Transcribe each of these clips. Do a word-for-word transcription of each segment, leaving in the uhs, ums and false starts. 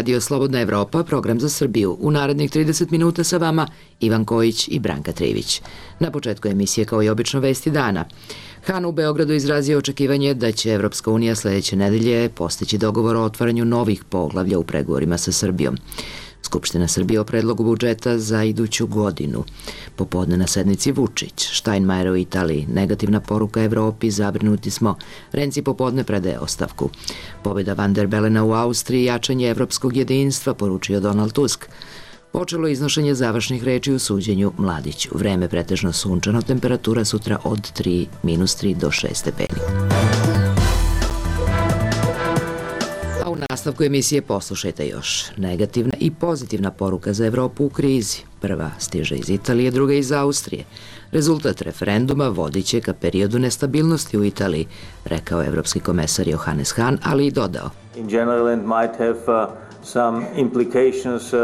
radio Slobodna Evropa, program za Srbiju. U narednih trideset minuta sa vama Ivan Kojić i Branka Trivić. Na početku emisije kao i obično vesti dana. Han u Beogradu izrazio očekivanje da će Evropska unija sledeće nedelje postići dogovor o otvaranju novih poglavlja u pregovorima sa Srbijom. Skupština Srbije o predlogu budžeta za iduću godinu. Popodne na sednici Vučić, Štajnmajer u Italiji, negativna poruka Evropi, zabrinuti smo, Renci popodne predaje ostavku. Pobjeda Van der Belena u Austriji, jačanje evropskog jedinstva, poručio Donald Tusk. Počelo iznošenje završnih reči u suđenju Mladiću. Vreme pretežno sunčano, temperatura sutra od tri, minus tri do šest stepeni. A u nastavku emisije poslušajte još. Negativna i pozitivna poruka za Evropu u krizi. Prva stiže iz Italije, druga iz Austrije. Rezultat referenduma vodit će ka periodu nestabilnosti u Italiji, rekao evropski komesar Johannes Hahn, ali i dodao. In general it might have uh, some implications uh,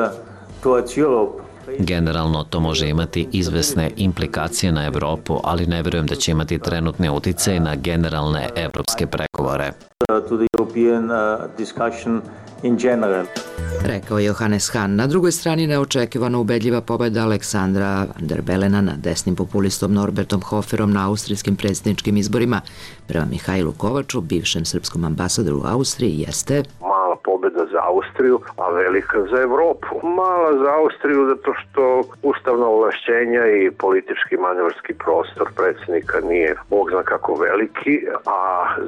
towards Europe. Generalno to može imati izvesne implikacije na Evropu, ali ne verujem da će imati trenutne uticaje na generalne evropske pregovore. To the European uh, discussion in general. Rekao je Johannes Hahn. Na drugoj strani neočekivano ubedljiva pobjeda Aleksandra Van der Belena nad desnim populistom Norbertom Hoferom na austrijskim predsjedničkim izborima. Prema Mihajlu Kovaču, bivšem srpskom ambasadoru u Austriji, jeste mala pobjeda za Austriju, a velika za Evropu. Mala za Austriju zato što ustavna ovlašćenja i politički manevarski prostor predsjednika nije bog zna kako veliki, a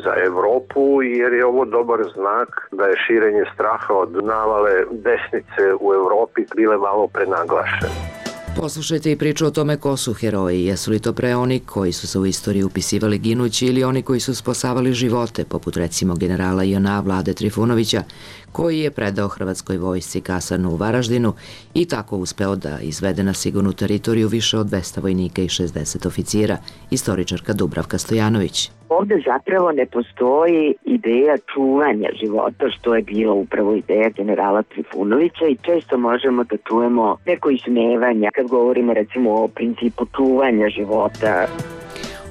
za Evropu jer je ovo dobar znak da je širenje straha od navale desnice u Evropi bile malo prenaglašene. Poslušajte i priču o tome ko su heroji. Jesu li to pre oni koji su se u istoriju upisivali ginući ili oni koji su spasavali živote, poput recimo generala J N A Vlade Trifunovića, koji je predao hrvatskoj vojsci kasarnu u Varaždinu i tako uspeo da izvede na sigurnu teritoriju više od dvesta vojnika i šezdeset oficira, istoričarka Dubravka Stojanović. Ovde zapravo ne postoji ideja čuvanja života, što je bila upravo ideja generala Trifunovića i često možemo da čujemo neko ismevanja kad govorimo recimo o principu čuvanja života.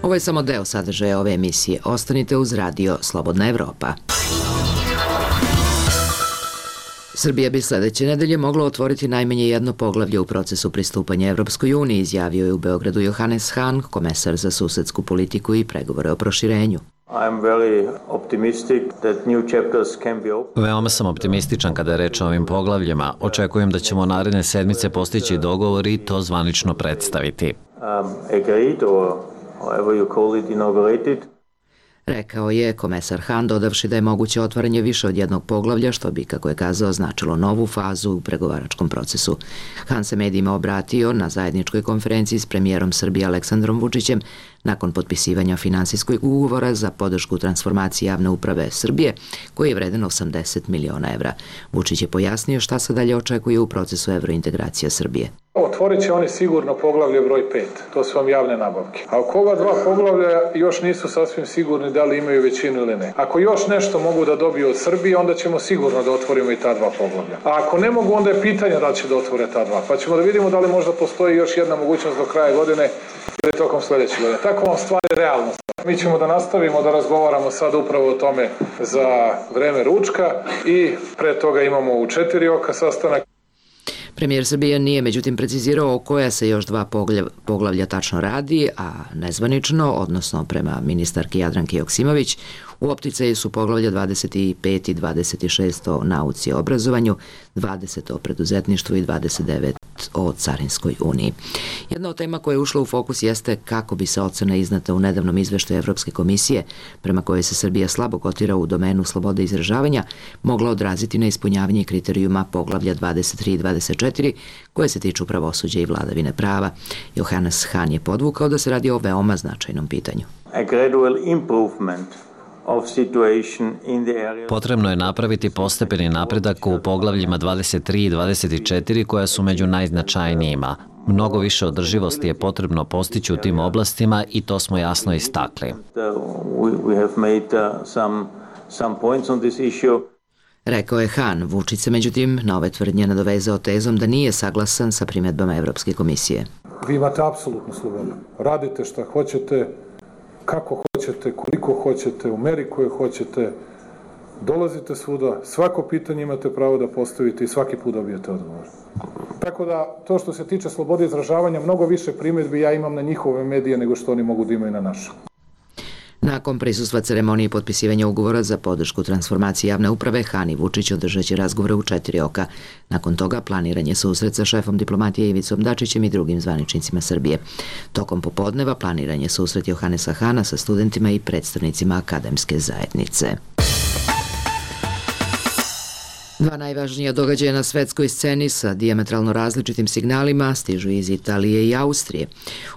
Ovo je samo deo sadržaja ove emisije. Ostanite uz radio Slobodna Evropa. Srbija bi sledeće nedelje mogla otvoriti najmanje jedno poglavlje u procesu pristupanja Evropskoj uniji, izjavio je u Beogradu Johannes Hahn, komesar za susedsku politiku i pregovore o proširenju. Veoma sam optimističan kada je reč o ovim poglavljima. Očekujem da ćemo naredne sedmice postići dogovor i to zvanično predstaviti. Rekao je komesar Hahn, dodavši da je moguće otvaranje više od jednog poglavlja, što bi, kako je kazao, značilo novu fazu u pregovaračkom procesu. Hahn se medijima obratio na zajedničkoj konferenciji s premijerom Srbije Aleksandrom Vučićem nakon potpisivanja finansijskog ugovora za podršku transformaciji javne uprave Srbije, koji je vreden osamdeset miliona evra. Vučić je pojasnio šta se dalje očekuje u procesu evrointegracija Srbije. Otvorit će oni sigurno poglavlje broj pet, to su vam javne nabavke. A oko ova dva poglavlja još nisu sasvim sigurni da li imaju većinu ili ne. Ako još nešto mogu da dobiju od Srbije, onda ćemo sigurno da otvorimo i ta dva poglavlja. A ako ne mogu, onda je pitanje da li će da otvore ta dva. Pa ćemo da vidimo da li možda postoji još jedna mogućnost do kraja godine ili tokom sledeće godine. Tako vam stvari realno. Mi ćemo da nastavimo da razgovaramo sad upravo o tome za vreme ručka i pre toga imamo u četiri oka sastanak. Premijer Srbije nije međutim precizirao o koja se još dva poglavlja tačno radi, a nezvanično, odnosno prema ministarki Jadranki Joksimović, u opticaju su poglavlja dvadeset pet i dvadeset šest o nauci i obrazovanju, dvadeset o preduzetništvu i dvadeset devet o Carinskoj uniji. Jedna od tema koja je ušla u fokus jeste kako bi se ocena iznata u nedavnom izveštaju Evropske komisije, prema kojoj se Srbija slabo kotira u domenu slobode izražavanja, mogla odraziti na ispunjavanje kriterijuma poglavlja dvadeset tri i dvadeset četiri koje se tiču pravosuđa i vladavine prava. Johannes Hahn je podvukao da se radi o veoma značajnom pitanju. A gradual improvement. Potrebno je napraviti postepeni napredak u poglavljima dvadeset tri i dvadeset četiri koja su među najznačajnijima. Mnogo više održivosti je potrebno postići u tim oblastima i to smo jasno istakli. Rekao je Hahn. Vučić se međutim na ove tvrdnje nadovezao tezom da nije saglasan sa primjedbama Evropske komisije. Vi imate apsolutnu slobodu. Radite šta hoćete, kako hoćete, koliko hoćete, u meri koje hoćete. dolazite svuda, svako pitanje imate pravo da postavite i svaki put dobijete odgovor. Tako da, to što se tiče slobode izražavanja, mnogo više primjedbi ja imam na njihove medije nego što oni mogu da imaju na našu. Nakon prisustva ceremonije potpisivanja ugovora za podršku transformaciji javne uprave, Han i Vučić održat će razgovore u četiri oka. Nakon toga planiran je susret sa šefom diplomatije Ivicom Dačićem i drugim zvaničnicima Srbije. Tokom popodneva planiran je susret Johanesa Hana sa studentima i predstavnicima akademske zajednice. Dva najvažnija događaja na svetskoj sceni sa dijametralno različitim signalima stižu iz Italije i Austrije.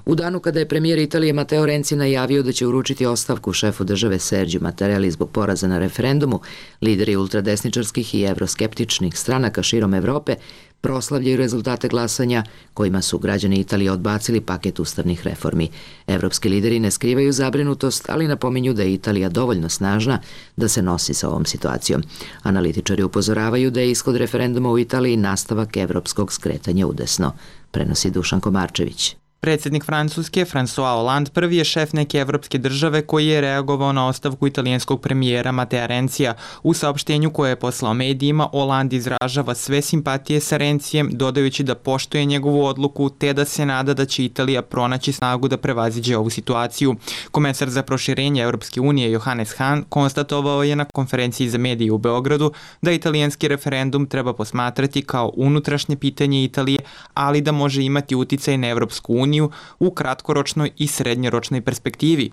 U danu kada je premijer Italije Matteo Renzi najavio da će uručiti ostavku šefu države Sergio Mattarelli zbog poraza na referendumu, lideri ultradesničarskih i evroskeptičnih stranaka širom Evrope proslavljaju rezultate glasanja kojima su građani Italije odbacili paket ustavnih reformi. Evropski lideri ne skrivaju zabrinutost, ali napominju da je Italija dovoljno snažna da se nosi sa ovom situacijom. Analitičari upozoravaju da je ishod referenduma u Italiji nastavak evropskog skretanja udesno, prenosi Dušan Komarčević. Predsjednik Francuske, François Hollande, prvi je šef neke evropske države koji je reagovao na ostavku italijanskog premijera Mattea Renzija. U saopštenju koje je poslao medijima, Hollande izražava sve simpatije sa Renzijem, dodajući da poštuje njegovu odluku te da se nada da će Italija pronaći snagu da prevaziđe ovu situaciju. Komesar za proširenje Evropske unije Johannes Hahn konstatovao je na konferenciji za medije u Beogradu da italijanski referendum treba posmatrati kao unutrašnje pitanje Italije, ali da može imati uticaj na Evropsku uniju u kratkoročnoj i srednjoročnoj perspektivi.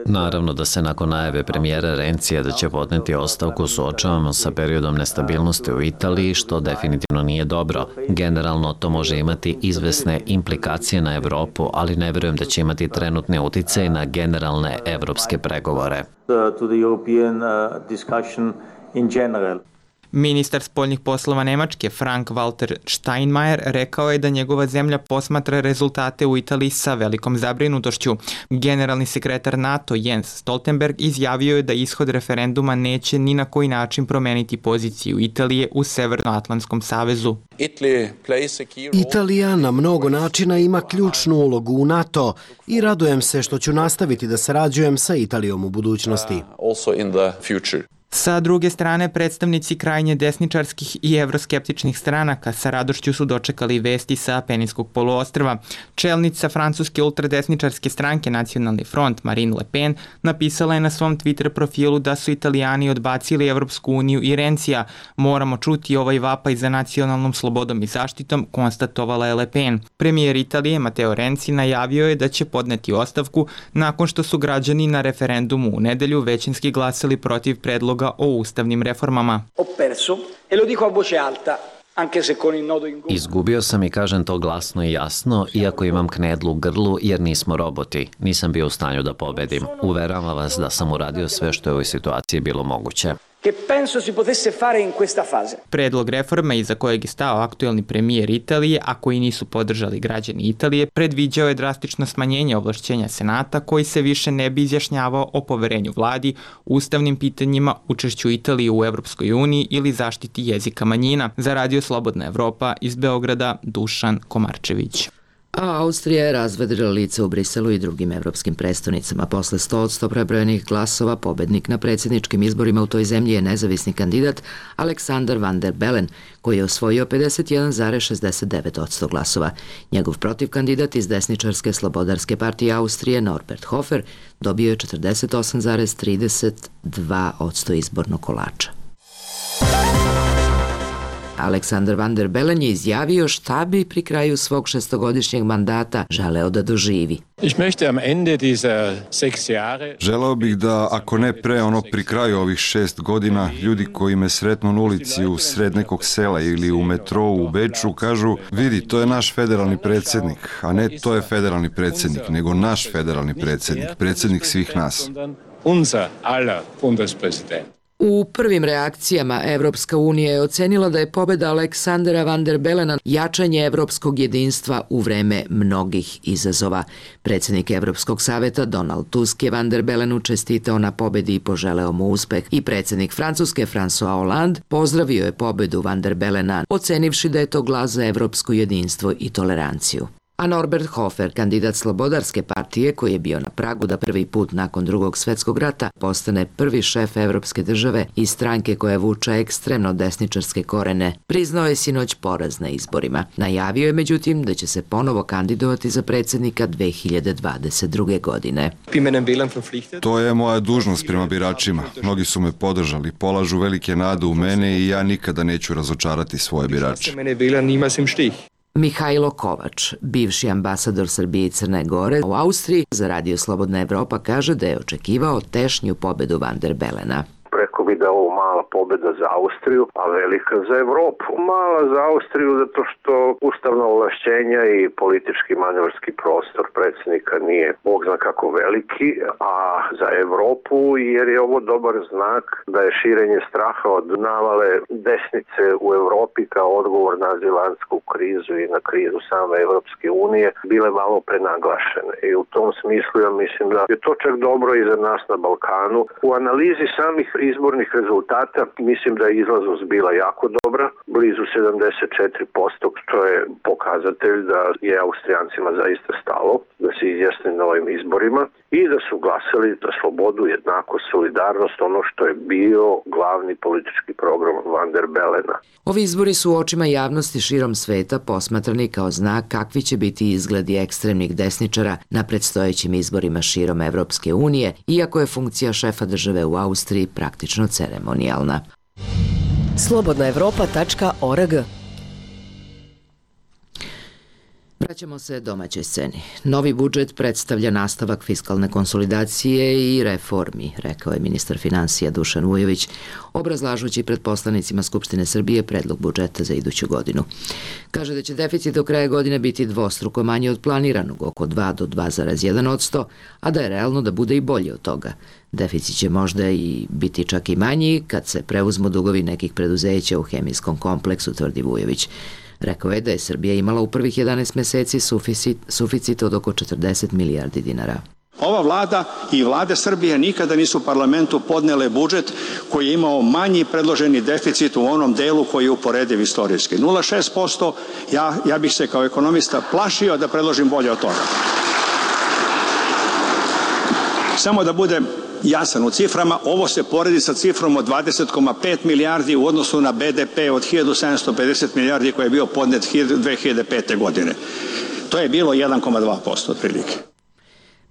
Naravno da se nakon najave premijera Renzija da će podneti ostavku suočavamo sa periodom nestabilnosti u Italiji, što definitivno nije dobro. Generalno to može imati izvesne implikacije na Evropu, ali ne verujem da će imati trenutni uticaj na generalne evropske pregovore. Ministar spoljnih poslova Nemačke Frank-Walter Steinmeier rekao je da njegova zemlja posmatra rezultate u Italiji sa velikom zabrinutošću. Generalni sekretar NATO Jens Stoltenberg izjavio je da ishod referenduma neće ni na koji način promeniti poziciju Italije u Severnoatlantskom savezu. Italija na mnogo načina ima ključnu ulogu u NATO i radujem se što ću nastaviti da sarađujem sa Italijom u budućnosti. Sa druge strane, predstavnici krajnje desničarskih i evroskeptičnih stranaka sa radošću su dočekali vesti sa Peninskog poluostrva. Čelnica francuske ultradesničarske stranke Nacionalni front Marine Le Pen napisala je na svom Twitter profilu da su Italijani odbacili Evropsku uniju i Renzija. Moramo čuti ovaj vapaj za nacionalnom slobodom i zaštitom, konstatovala je Le Pen. Premijer Italije Matteo Renzi najavio je da će podneti ostavku nakon što su građani na referendumu u nedelju većinski glasali protiv predloga o ustavnim reformama. Izgubio sam i kažem to glasno i jasno, iako imam knedlu u grlu jer nismo roboti. Nisam bio u stanju da pobedim. Uveravam vas da sam uradio sve što je u ovoj situaciji bilo moguće. Predlog reforme iza kojeg je stao aktuelni premijer Italije, a koji nisu podržali građani Italije, predviđao je drastično smanjenje ovlašćenja Senata koji se više ne bi izjašnjavao o poverenju vladi, ustavnim pitanjima, učešću Italije u Evropskoj uniji ili zaštiti jezika manjina. Za Radio Slobodna Evropa iz Beograda, Dušan Komarčević. A Austrija je razvedrila lice u Briselu i drugim evropskim prestonicama. Posle sto od sto prebrojenih glasova, pobednik na predsjedničkim izborima u toj zemlji je nezavisni kandidat Alexander Van der Bellen, koji je osvojio pedeset jedan zarez šezdeset devet posto glasova. Njegov protivkandidat iz desničarske slobodarske partije Austrije, Norbert Hofer, dobio je četrdeset osam zarez trideset dva posto izbornog kolača. Aleksandar Van der Bellen je izjavio šta bi pri kraju svog šestogodišnjeg mandata želeo da doživi. Želeo bih da, ako ne pre, ono pri kraju ovih šest godina, ljudi koji me sretnu na ulici u sred nekog sela ili u metrou u Beču kažu: vidi, to je naš federalni predsjednik, a ne to je federalni predsjednik, nego naš federalni predsjednik, predsjednik svih nas. U prvim reakcijama Evropska unija je ocenila da je pobeda Aleksandra Van der Bellena jačanje evropskog jedinstva u vreme mnogih izazova. Predsjednik Evropskog saveta Donald Tusk je Van der Bellenu čestitao na pobedi i poželeo mu uspeh. I predsjednik Francuske François Hollande pozdravio je pobedu Van der Bellena, ocenivši da je to glas za evropsko jedinstvo i toleranciju. A Norbert Hofer, kandidat Slobodarske partije koji je bio na pragu da prvi put nakon drugog svetskog rata postane prvi šef evropske države i stranke koja vuče ekstremno desničarske korene, priznao je sinoć poraz na izborima. Najavio je međutim da će se ponovo kandidovati za predsjednika dve hiljade dvadeset druge. godine. To je moja dužnost prema biračima. Mnogi su me podržali, polažu velike nade u mene i ja nikada neću razočarati svoje birače. Mihajlo Kovač, bivši ambasador Srbije i Crne Gore u Austriji, za Radio Slobodna Evropa kaže da je očekivao tešnju pobedu Van der Belena. Rekao bi da je ovo mala pobeda za Austriju, a velika za Evropu. Mala za Austriju zato što ustavna ovlašćenja i politički manevarski prostor predsjednika nije bog zna kako veliki, a za Evropu jer je ovo dobar znak da je širenje straha od navale desnice u Evropi kao odgovor na azilantsku krizu i na krizu same Evropske unije bile malo prenaglašene. I u tom smislu ja mislim da je to čak dobro i za nas na Balkanu. U analizi samih izbornih rezultata mislim da je izlaznost bila jako dobra, blizu sedamdeset četiri posto, što je pokazatelj da je Austrijancima zaista stalo da se izjasne na ovim izborima i da su glasali za slobodu, jednakost, solidarnost, ono što je bio glavni politički program Van der Belena. Ovi izbori su u očima javnosti širom sveta posmatrani kao znak kakvi će biti izgledi ekstremnih desničara na predstojećim izborima širom Evropske unije, iako je funkcija šefa države u Austriji praktično ceremonijalna. slobodna evropa tačka org. Vraćamo se domaćoj sceni. Novi budžet predstavlja nastavak fiskalne konsolidacije i reformi, rekao je ministar finansija Dušan Vujović, obrazlažući pred poslanicima Skupštine Srbije predlog budžeta za iduću godinu. Kaže da će deficit do kraja godine biti dvostruko manji od planiranog, oko dva do dva zarez jedan posto, a da je realno da bude i bolje od toga. Deficit će možda i biti čak i manji kad se preuzmu dugovi nekih preduzeća u hemijskom kompleksu, tvrdi Vujović. Rekao je da je Srbija imala u prvih jedanaest meseci suficit, suficit od oko četrdeset milijardi dinara. Ova vlada i vlade Srbije nikada nisu parlamentu podnele budžet koji je imao manji predloženi deficit u onom delu koji je uporediv istorijski. nula zarez šest posto, ja, ja bih se kao ekonomista plašio da predložim bolje od toga. Samo da budem jasan u ciframa, ovo se poredi sa cifrom od dvadeset zarez pet milijardi u odnosu na be de pe od hiljadu sedamsto pedeset milijardi koji je bio podnet dve hiljade pete. godine. To je bilo jedan zarez dva posto otprilike.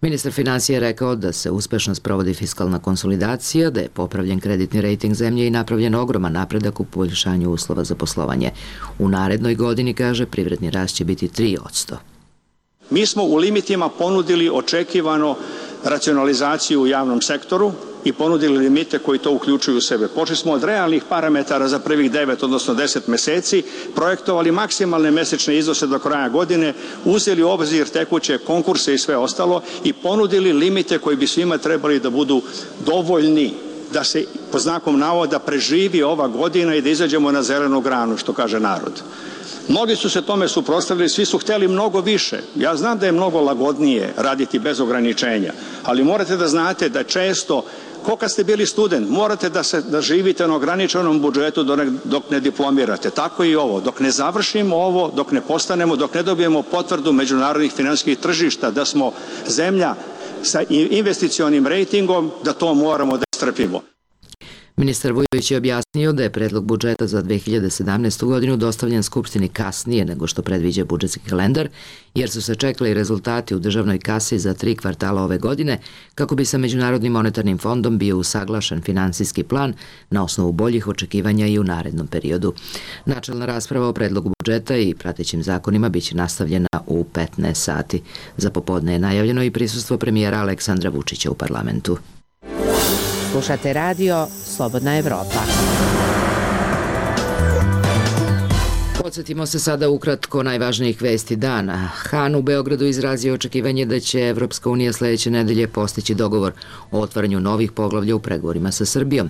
Ministar finansija je rekao da se uspešno sprovodi fiskalna konsolidacija, da je popravljen kreditni rejting zemlje i napravljen ogroman napredak u poboljšanju uslova za poslovanje. U narednoj godini, kaže, privredni rast će biti tri posto. Mi smo u limitima ponudili očekivano racionalizaciju u javnom sektoru i ponudili limite koji to uključuju u sebe. Počeli smo od realnih parametara za prvih devet, odnosno deset meseci, projektovali maksimalne mesečne iznose do kraja godine, uzeli u obzir tekuće konkurse i sve ostalo i ponudili limite koji bi svima trebali da budu dovoljni da se po znakom navoda preživi ova godina i da izađemo na zelenu granu, što kaže narod. Mnogi su se tome suprotstavili, svi su hteli mnogo više. Ja znam da je mnogo lagodnije raditi bez ograničenja, ali morate da znate da često, ko kad ste bili student, morate da, se, da živite na ograničenom budžetu dok ne diplomirate. Tako i ovo. Dok ne završimo ovo, dok ne postanemo, dok ne dobijemo potvrdu međunarodnih finansijskih tržišta da smo zemlja sa investicionim rejtingom, da to moramo da strpimo. Ministar Vujović je objasnio da je predlog budžeta za dve hiljade sedamnaestu. godinu dostavljen Skupštini kasnije nego što predviđa budžetski kalendar, jer su se čekali rezultati u državnoj kasi za tri kvartala ove godine, kako bi sa Međunarodnim monetarnim fondom bio usaglašen finansijski plan na osnovu boljih očekivanja i u narednom periodu. Načelna rasprava o predlogu budžeta i pratećim zakonima biće nastavljena u petnaest sati. Za popodne je najavljeno i prisustvo premijera Aleksandra Vučića u parlamentu. Slušate radio Slobodna Evropa. Podsjetimo se sada ukratko najvažnijih vesti dana. Han u Beogradu izrazio očekivanje da će Evropska unija sledeće nedelje postići dogovor o otvaranju novih poglavlja u pregovorima sa Srbijom.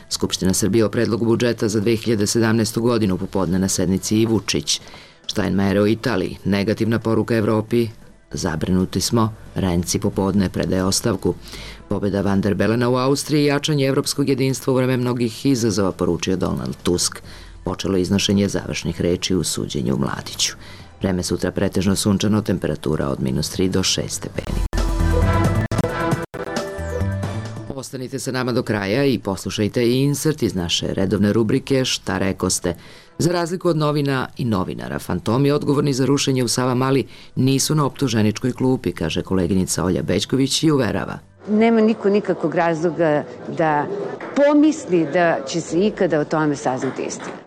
Skupština Srbije o predlogu budžeta za dve hiljade sedamnaestu. godinu popodne na sednici i Vučić. Steinmeier u Italiji, negativna poruka Evropi, zabrinuti smo, Renci popodne predaje ostavku. Pobjeda Van der Belena u Austriji i jačanje evropskog jedinstva u vreme mnogih izazova, poručio Donald Tusk. Počelo iznošenje završnih reči u suđenju Mladiću. Vreme sutra pretežno sunčano, temperatura od minus tri do šest stepeni. Ostanite sa nama do kraja i poslušajte i insert iz naše redovne rubrike Šta rekoste. Za razliku od novina i novinara, fantomi odgovorni za rušenje u Savamali nisu na optuženičkoj klupi, kaže koleginica Olja Bećković i uverava. Nema niko nikakvog razloga da pomisli da će se ikada o tome saznati istina.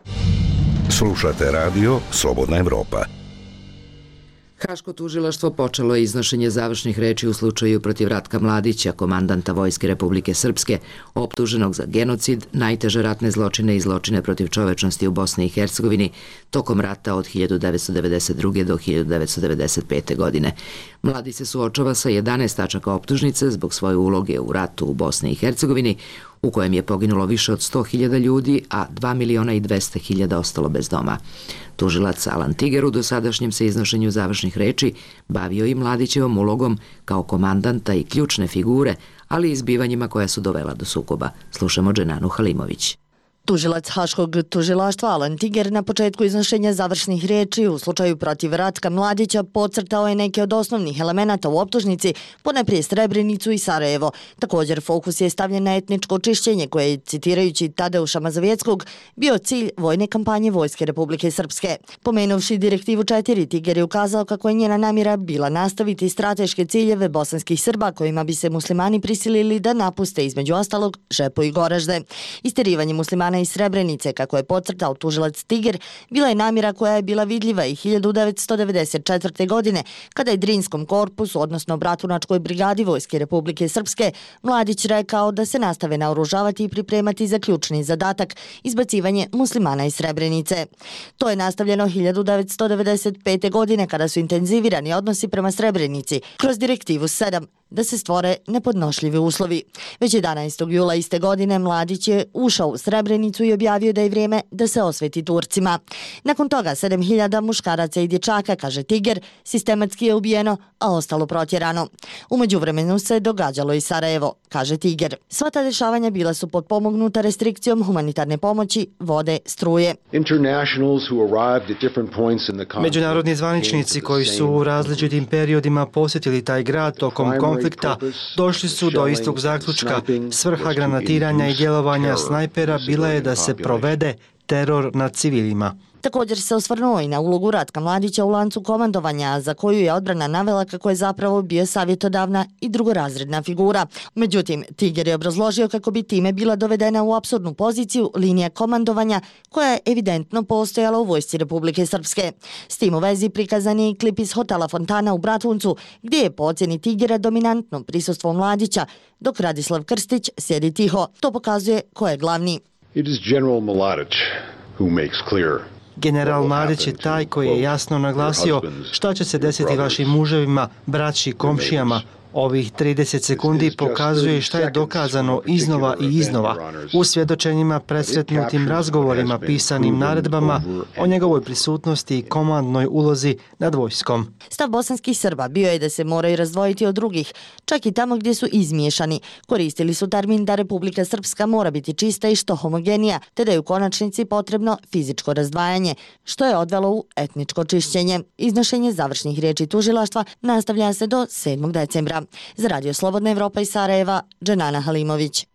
Slušate radio Slobodna Evropa. Haško tužilaštvo počelo je iznošenje završnih reči u slučaju protiv Ratka Mladića, komandanta Vojske Republike Srpske, optuženog za genocid, najteže ratne zločine i zločine protiv čovečnosti u Bosni i Hercegovini tokom rata od hiljadu devetsto devedeset druge. do hiljadu devetsto devedeset pete. godine. Mladić se suočava sa jedanaest tačaka optužnice zbog svoje uloge u ratu u Bosni i Hercegovini, u kojem je poginulo više od sto hiljada ljudi, a dva miliona i dvesta hiljada ostalo bez doma. Tužilac Alan Tiger u dosadašnjem se iznošenju završnih reči bavio i Mladićevom ulogom kao komandanta i ključne figure, ali i izbivanjima koja su dovela do sukoba. Slušamo Dženanu Halimović. Tužilac Haškog tužilaštva Alan Tiger na početku iznošenja završnih riječi u slučaju protiv Ratka Mladića podcrtao je neke od osnovnih elemenata u optužnici, ponajprije Srebrenicu i Sarajevo. Također fokus je stavljen na etničko čišćenje koje je, citirajući Tadeuša Mazovjeckog, bio cilj vojne kampanje Vojske Republike Srpske. Pomenuvši direktivu četiri, Tiger je ukazao kako je njena namjera bila nastaviti strateške ciljeve bosanskih Srba kojima bi se muslimani prisilili da napuste između ostalog Žepo i Goražde. Isterivanje muslimana iz Srebrenice, kako je podcrtao tužilac Tiger, bila je namjera koja je bila vidljiva i hiljadu devetsto devedeset četvrte. godine, kada je Drinskom korpusu, odnosno Bratunačkoj brigadi Vojske Republike Srpske, Mladić rekao da se nastave naoružavati i pripremati za ključni zadatak, izbacivanje muslimana iz Srebrenice. To je nastavljeno hiljadu devetsto devedeset pete. godine, kada su intenzivirani odnosi prema Srebrenici kroz direktivu sedam, da se stvore nepodnošljivi uslovi. Već jedanaestog jula iste godine Mladić je ušao u Srebrenicu i objavio da je vrijeme da se osveti Turcima. Nakon toga sedam hiljada muškaraca i dječaka, kaže Tiger, sistematski je ubijeno, a ostalo protjerano. U međuvremenu se događalo i Sarajevo, kaže Tiger. Sva ta dešavanja bila su potpomognuta restrikcijom humanitarne pomoći, vode, struje. Međunarodni zvaničnici koji su u različitim periodima posjetili taj grad tokom konflikta došli su do istog zaključka. Svrha granatiranja i djelovanja snajpera bila je da se provede teror nad civilima. Također se osvrnuo i na ulogu Ratka Mladića u lancu komandovanja, za koju je odbrana navela kako je zapravo bio savjetodavna i drugorazredna figura. Međutim, Tiger je obrazložio kako bi time bila dovedena u apsurdnu poziciju linija komandovanja koja je evidentno postojala u Vojsci Republike Srpske. S tim u vezi prikazan je i klip iz hotela Fontana u Bratuncu, gdje je po ocjeni Tigera dominantno prisustvo Mladića, dok Radislav Krstić sjedi tiho. To pokazuje ko je glavni. It is General Mladić who makes clear General Mladić je taj koji je jasno naglasio šta će se desiti vašim muževima, braći, komšijama. Ovih trideset sekundi pokazuje šta je dokazano iznova i iznova u svjedočenjima, presretnutim razgovorima, pisanim naredbama o njegovoj prisutnosti i komandnoj ulozi nad vojskom. Stav bosanskih Srba bio je da se moraju razdvojiti od drugih, čak i tamo gdje su izmiješani. Koristili su termin da Republika Srpska mora biti čista i što homogenija, te da je u konačnici potrebno fizičko razdvajanje, što je odvelo u etničko čišćenje. Iznošenje završnih riječi tužilaštva nastavlja se do sedmog decembra. Za Radio Slobodna Evropa iz Sarajeva, Dženana Halimović.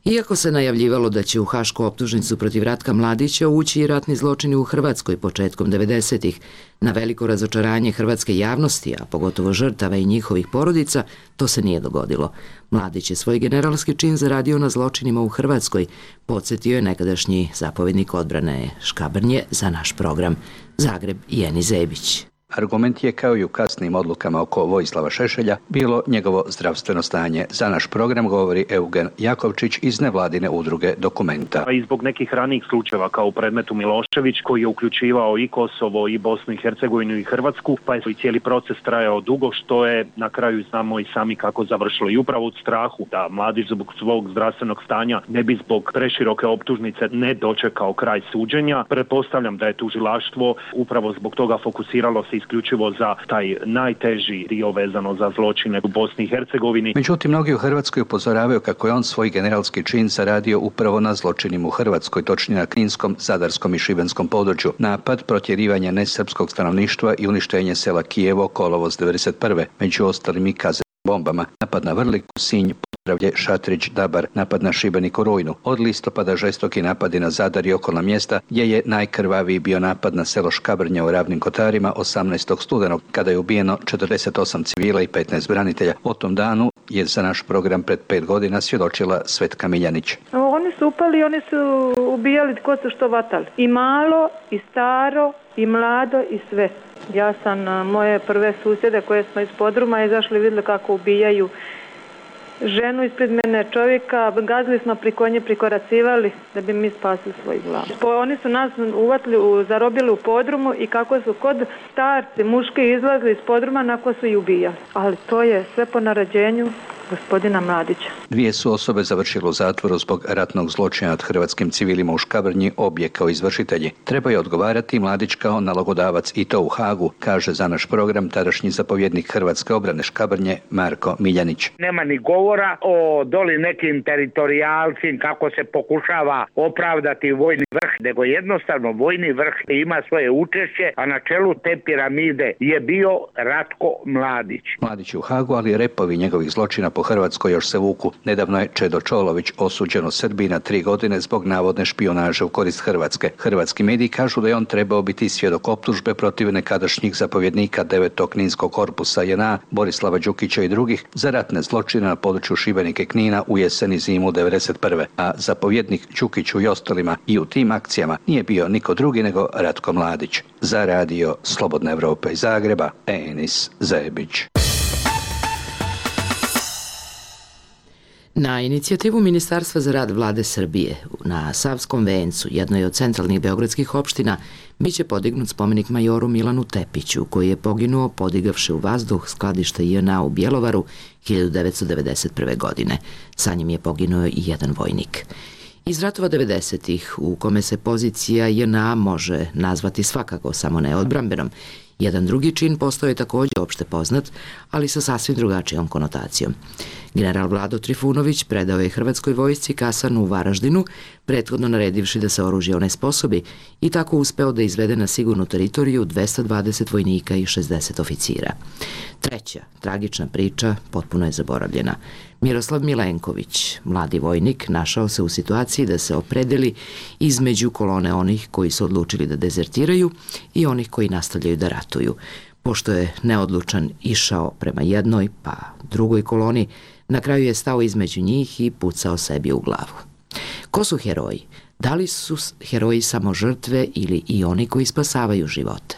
Iako se najavljivalo da će u hašku optužnicu protiv Ratka Mladića ući i ratni zločini u Hrvatskoj početkom devedesetih, na veliko razočaranje hrvatske javnosti, a pogotovo žrtava i njihovih porodica, to se nije dogodilo. Mladić je svoj generalski čin zaradio na zločinima u Hrvatskoj, podsjetio je nekadašnji zapovjednik odbrane Škabrnje za naš program. Zagreb i Jeni Zebić. Argument je, kao i u kasnim odlukama oko Vojislava Šešelja, bilo njegovo zdravstveno stanje. Za naš program govori Eugen Jakovčić iz nevladine udruge Dokumenta. I zbog nekih ranijih slučajeva kao u predmetu Milošević, koji je uključivao i Kosovo, i Bosnu i Hercegovinu i Hrvatsku, pa je i cijeli proces trajao dugo, što je na kraju znamo i sami kako završilo. I upravo od strahu da Mladić zbog svog zdravstvenog stanja ne bi zbog preširoke optužnice ne dočekao kraj suđenja, pretpostavljam da je tužilaštvo upravo zbog toga fokusiralo se vezati isključivo za taj najteži dio vezano za zločine u Bosni i Hercegovini. Međutim, mnogi u Hrvatskoj upozoravaju kako je on svoj generalski čin zaradio upravo na zločinima u Hrvatskoj, točnije na Kninskom, Zadarskom i Šibenskom području. Napad, protjerivanje nesrpskog stanovništva i uništenje sela Kijevo, kolovoz devedeset prve Među ostalim i kazetnim bombama. Napad na Vrliku, Sinj, Podravlje, Šatrić, Dabar, napad na Šibenik u rujnu. Od listopada žestoki napadi na Zadar i okolna mjesta, gdje je najkrvaviji bio napad na selo Škabrnja u Ravnim Kotarima osamnaestog studenog, kada je ubijeno četrdeset osam civila i petnaest branitelja. O tom danu je za naš program pred pet godina svjedočila Svetka Miljanić. Oni su upali, oni su ubijali tko su što vatali. I malo, i staro, i mlado, i sve. Ja sam moje prve susjede koje smo iz podruma izašli, vidjeli kako ubijaju ženu ispred mene, čovjeka, gazili smo pri konje, prikoracivali da bi mi spasili svoj glavu. Oni su nas uvatili, zarobili u podrumu i kako su kod starci, muški izlazili iz podruma, nakon su i ubijali. Ali to je sve po naređenju gospodina Mladića. Dvije su osobe završile u zatvoru zbog ratnog zločina nad hrvatskim civilima u Škabrnji, obje kao izvršitelji. Treba je odgovarati Mladić kao nalogodavac i to u Hagu, kaže za naš program tadašnji zapovjednik Hrvatske obrane Škabrnje Marko Miljanić. Nema ni govora o doli nekim teritorijalcim kako se pokušava opravdati vojni vrh, nego jednostavno vojni vrh ima svoje učešće, a na čelu te piramide je bio Ratko Mladić. Mladić u Hagu, ali repovi njegovih zločina po Hrvatskoj još se vuku. Nedavno je Čedo Čolović osuđen u Srbiji na tri godine zbog navodne špijunaže u korist Hrvatske. Hrvatski mediji kažu da je on trebao biti svjedok optužbe protiv nekadašnjih zapovjednika devetog Kninskog korpusa J N A, Borislava Đukića i drugih za ratne zločine na području Šibenika i Knina u jesen i zimu devedeset prve A zapovjednik Đukiću i ostalima i u tim akcijama nije bio niko drugi nego Ratko Mladić. Za radio Slobodna Evropa iz Zagreba, Enis Zebić. Na inicijativu Ministarstva za rad Vlade Srbije na Savskom vencu, jednoj od centralnih beogradskih opština, biće podignut spomenik majoru Milanu Tepiću, koji je poginuo podigavši u vazduh skladište J N A u Bjelovaru hiljadu devetsto devedeset prve. godine. Sa njim je poginuo i jedan vojnik. Iz ratova devedesetih, u kome se pozicija J N A može nazvati svakako samo neodbrambenom, jedan drugi čin postao je također opšte poznat, ali sa sasvim drugačijom konotacijom. General Vlado Trifunović predao je Hrvatskoj vojsci kasarnu u Varaždinu, prethodno naredivši da se oružje onesposobi i tako uspeo da izvede na sigurnu teritoriju dvesta dvadeset vojnika i šezdeset oficira. Treća, tragična priča, potpuno je zaboravljena. Miroslav Milenković, mladi vojnik, našao se u situaciji da se opredeli između kolone onih koji su odlučili da dezertiraju i onih koji nastavljaju da ratuju. Pošto je neodlučan išao prema jednoj pa drugoj koloni, na kraju je stao između njih i pucao sebi u glavu. Ko su heroji? Da li su heroji samo žrtve ili i oni koji spasavaju živote?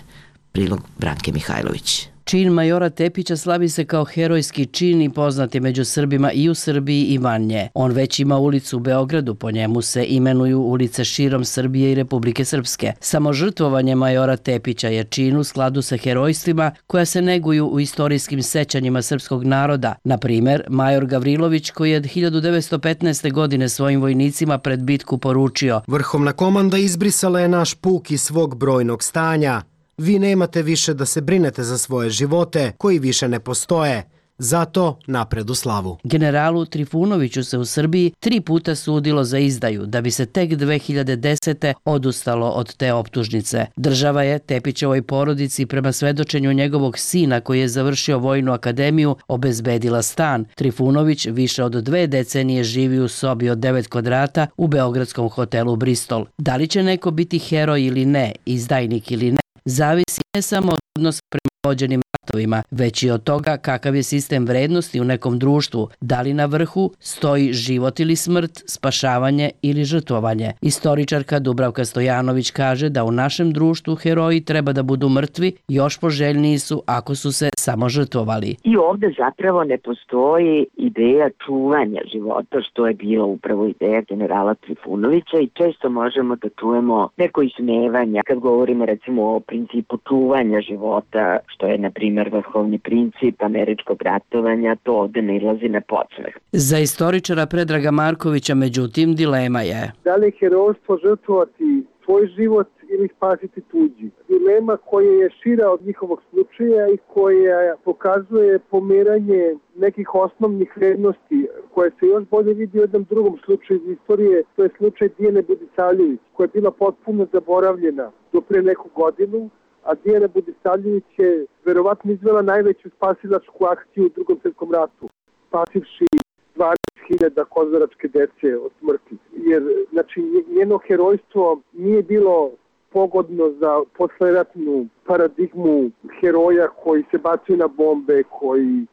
Prilog Branke Mihajlović. Čin majora Tepića slavi se kao herojski čin i poznat je među Srbima i u Srbiji i van nje. On već ima ulicu u Beogradu, po njemu se imenuju ulice širom Srbije i Republike Srpske. Samo žrtvovanje majora Tepića je čin u skladu sa herojstvima koja se neguju u istorijskim sećanjima srpskog naroda. Na primer, major Gavrilović koji je hiljadu devetsto petnaeste. godine svojim vojnicima pred bitku poručio: Vrhovna komanda izbrisala je naš puk iz svog brojnog stanja. Vi nemate više da se brinete za svoje živote, koji više ne postoje. Zato napred u slavu. Generalu Trifunoviću se u Srbiji tri puta sudilo za izdaju, da bi se tek dve hiljade desete. odustalo od te optužnice. Država je Tepićevoj porodici prema svedočenju njegovog sina koji je završio vojnu akademiju obezbedila stan. Trifunović više od dve decenije živi u sobi od devet kvadrata u beogradskom hotelu Bristol. Da li će neko biti heroj ili ne, izdajnik ili ne, zavisi ne samo od odnosa prema vođenim ratovima, već i od toga kakav je sistem vrednosti u nekom društvu, da li na vrhu stoji život ili smrt, spašavanje ili žrtvovanje. Istoričarka Dubravka Stojanović kaže da u našem društvu heroji treba da budu mrtvi, još poželjniji su ako su se samo žrtvovali. I ovde zapravo ne postoji ideja čuvanja života, što je bila upravo ideja generala Trifunovića i često možemo da čujemo neko ismevanja kad govorimo recimo o principu čuvanja života, što je na primjer vrhovni princip američkog ratovanja, to ovde ne ilazi na podsmeh. Za istoričara Predraga Markovića, međutim, dilema je. Da li herojstvo žrtvovati svoj život ili spasiti tuđi. Dilema koja je šira od njihovog slučaja i koja pokazuje pomeranje nekih osnovnih vrednosti koje se još bolje vidi u jednom drugom slučaju iz istorije, to je slučaj Dijane Budisavljević, koja je bila potpuno zaboravljena do pre neku godinu, a Dijana Budisavljević je verovatno izvela najveću spasilačku akciju u Drugom svjetskom ratu, spasivši dvadeset hiljada kozaračke dece od smrti. Jer, znači, njeno herojstvo nije bilo pogodno za posleratnu paradigmu heroja koji se bacaju na bombe, koji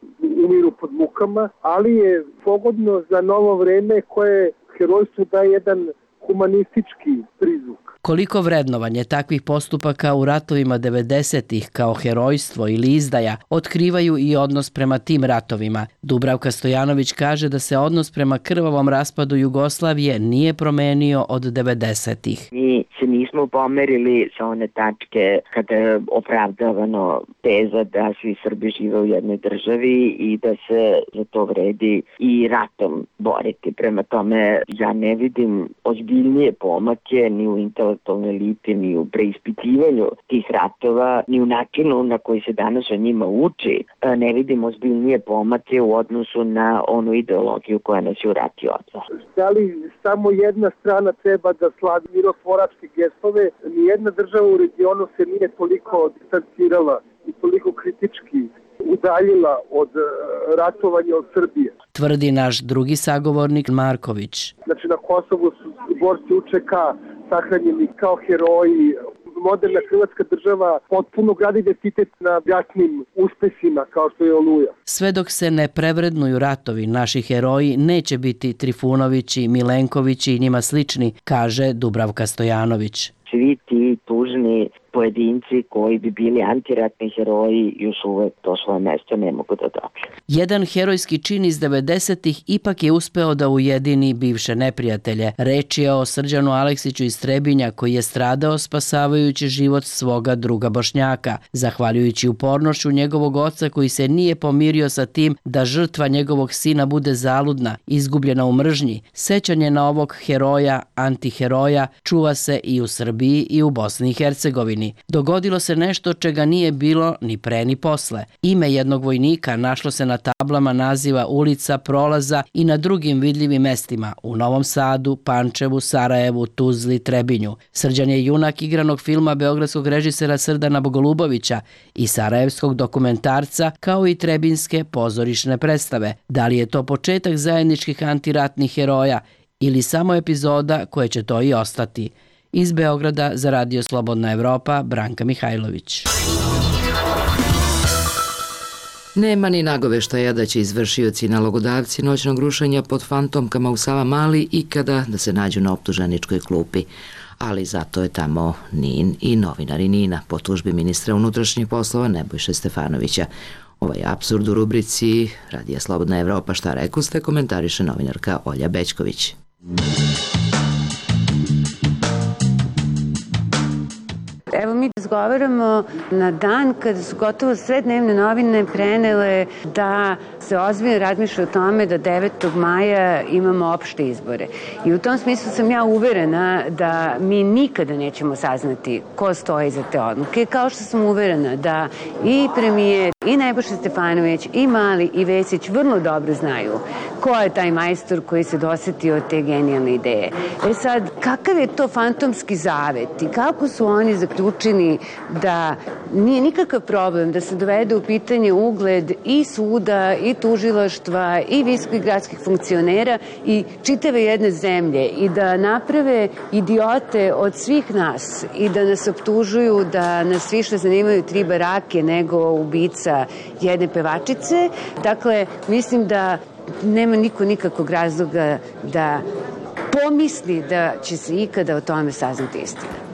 umiru pod mukama, ali je pogodno za novo vreme koje herojstvu daje jedan humanistički prizvuk. Koliko vrednovanje takvih postupaka u ratovima devedesetih kao herojstvo ili izdaja otkrivaju i odnos prema tim ratovima. Dubravka Stojanović kaže da se odnos prema krvavom raspadu Jugoslavije nije promenio od devedesetih. Mi se nismo pomerili sa one tačke kada je opravdavano teza da svi Srbi žive u jednoj državi i da se za to vredi i ratom boriti. Prema tome, ja ne vidim ozbiljnije pomake ni u intelektualnoj eliti, ni u preispitivanju tih ratova, ni u načinu na koji se danas o njima uči. Ne vidim ozbiljnije pomake u odnosu na onu ideologiju koja nas je u rati odvela. Da li samo jedna strana treba da slavi mirotvoračke gestove? Nijedna država u regionu se nije toliko distancirala i toliko kritički udaljila od ratovanja od Srbije. Tvrdi naš drugi sagovornik Marković. Znači na Kosovu su borci U Č K sahranjeni kao heroji. Moderna hrvatska država potpuno gradi identitet na jasnim uspesima kao što je Oluja. Sve dok se ne prevrednuju ratovi, naši heroji neće biti Trifunovići, Milenkovići i njima slični, kaže Dubravka Stojanović. Svi ti tužni pojedinci koji bi bili antiratni heroji još uvek to svoje mesto ne mogu da dobiju. Jedan herojski čin iz devedesetih ipak je uspeo da ujedini bivše neprijatelje. Reč je o Srđanu Aleksiću iz Trebinja koji je stradao spasavajući život svoga druga Bošnjaka, zahvaljujući upornošću njegovog oca koji se nije pomirio sa tim da žrtva njegovog sina bude zaludna, izgubljena u mržnji. Sećanje na ovog heroja, antiheroja, čuva se i u Srbiji i u Bosni i Hercegovini. Dogodilo se nešto čega nije bilo ni pre ni posle. Ime jednog vojnika našlo se na tablama naziva ulica, prolaza i na drugim vidljivim mestima u Novom Sadu, Pančevu, Sarajevu, Tuzli, Trebinju. Srđan je junak igranog filma beogradskog režisera Srdana Bogolubovića i sarajevskog dokumentarca kao i trebinske pozorišne predstave. Da li je to početak zajedničkih antiratnih heroja ili samo epizoda koje će to i ostati? Iz Beograda za Radio Slobodna Evropa, Branka Mihajlović. Nema ni nagoveštaja da će izvršioci i nalogodavci noćnog rušenja pod fantomkama u Savamali ikada da se nađu na optuženičkoj klupi. Ali zato je tamo Nin i novinari Nina po tužbi ministra unutrašnjih poslova Nebojše Stefanovića. Ovaj apsurd u rubrici Radija Slobodna Evropa šta rekuste komentariše novinarka Olja Bećković. Evo mi razgovaramo na dan kada su gotovo sve dnevne novine prenele da se ozbiljno razmišlja o tome da devetog maja imamo opšte izbore. I u tom smislu sam ja uverena da mi nikada nećemo saznati ko stoji za te odluke, kao što sam uverena da i premijer, i Nebojša Stefanović, i Mali, i Vesić vrlo dobro znaju ko je taj majstor koji se dosetio te genijalne ideje. E sad, kakav je to fantomski zavet i kako su oni zaključeni da nije nikakav problem da se dovede u pitanje ugled i suda, i tužilaštva, i visokih gradskih funkcionera i čitave jedne zemlje i da naprave idiote od svih nas i da nas optužuju da nas više zanimaju tri barake nego ubica jedne pevačice. Dakle, mislim da nema niko nikakvog razloga da pomisli da će se ikada o tome saznati istina.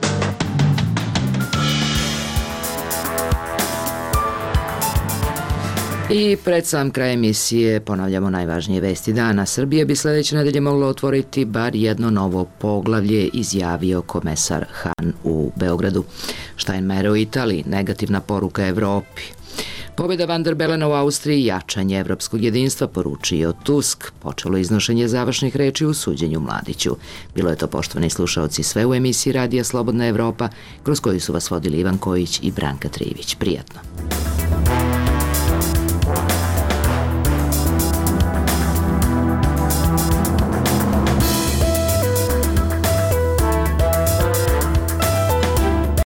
I pred sam kraj emisije ponavljamo najvažnije vesti dana. Srbija bi sledeće nedelje mogla otvoriti bar jedno novo poglavlje, izjavio komesar Han u Beogradu. Steinmeier u Italiji, negativna poruka Evropi. Pobjeda Van der Belena u Austriji, jačanje evropskog jedinstva, poručio Tusk, počelo iznošenje završnih reči u suđenju Mladiću. Bilo je to, poštovani slušaoci, sve u emisiji Radija Slobodna Evropa, kroz koju su vas vodili Ivan Kojić i Branka Trivić. Prijatno.